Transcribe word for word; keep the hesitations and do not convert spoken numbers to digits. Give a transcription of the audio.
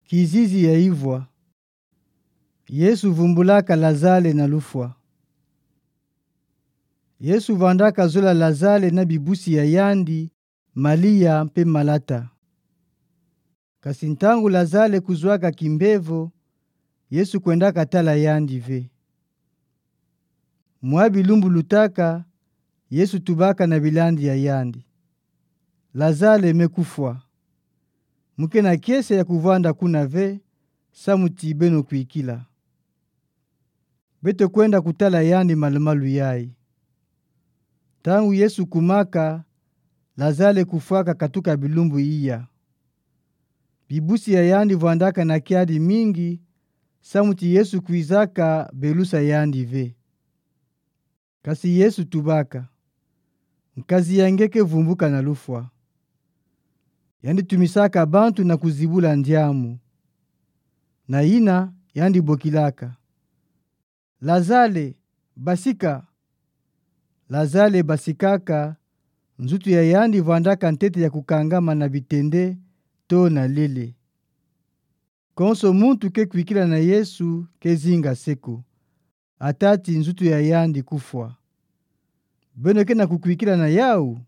Kizizi ya ivwa. Yesu vumbulaka Lazale na lufwa. Yesu vandaka zola Lazale na bibusi ya yandi, Malia mpe Malata. Kasi ntangu Lazale kuzwaka kimbevo, Yesu kwendaka tala yandi ve. Mwa bilumbu lutaka, Yesu tubaka na bilandi ya yandi: Lazale me kufwa. Mu ke na kiese ya kuvwanda kuna ve, samu ti beno kwikila. Beto kwenda kutala yandi malumalu yayi. Ntangu Yesu kumaka, Lazale kufwaka katuka bilumbu iya. Bibusi ya yandi vwandaka na kiadi mingi, samu ti Yesu kwizaka belusa yandi ve. Kasi Yesu tubaka: Nkazi ya nge ke vumbuka na lufwa. Yandi tumisaka bantu na kuzibula ndiamu. Na yina, yandi bokilaka: Lazale, basika! Lazale basikaka, nzutu ya yandi vwandaka ntete ya kukangama na bitende, to na lele. Konso muntu ke kwikila na Yesu ke zinga se ko, ata ti nzutu ya yandi kufwa. Beno ke na kukwikila na yau?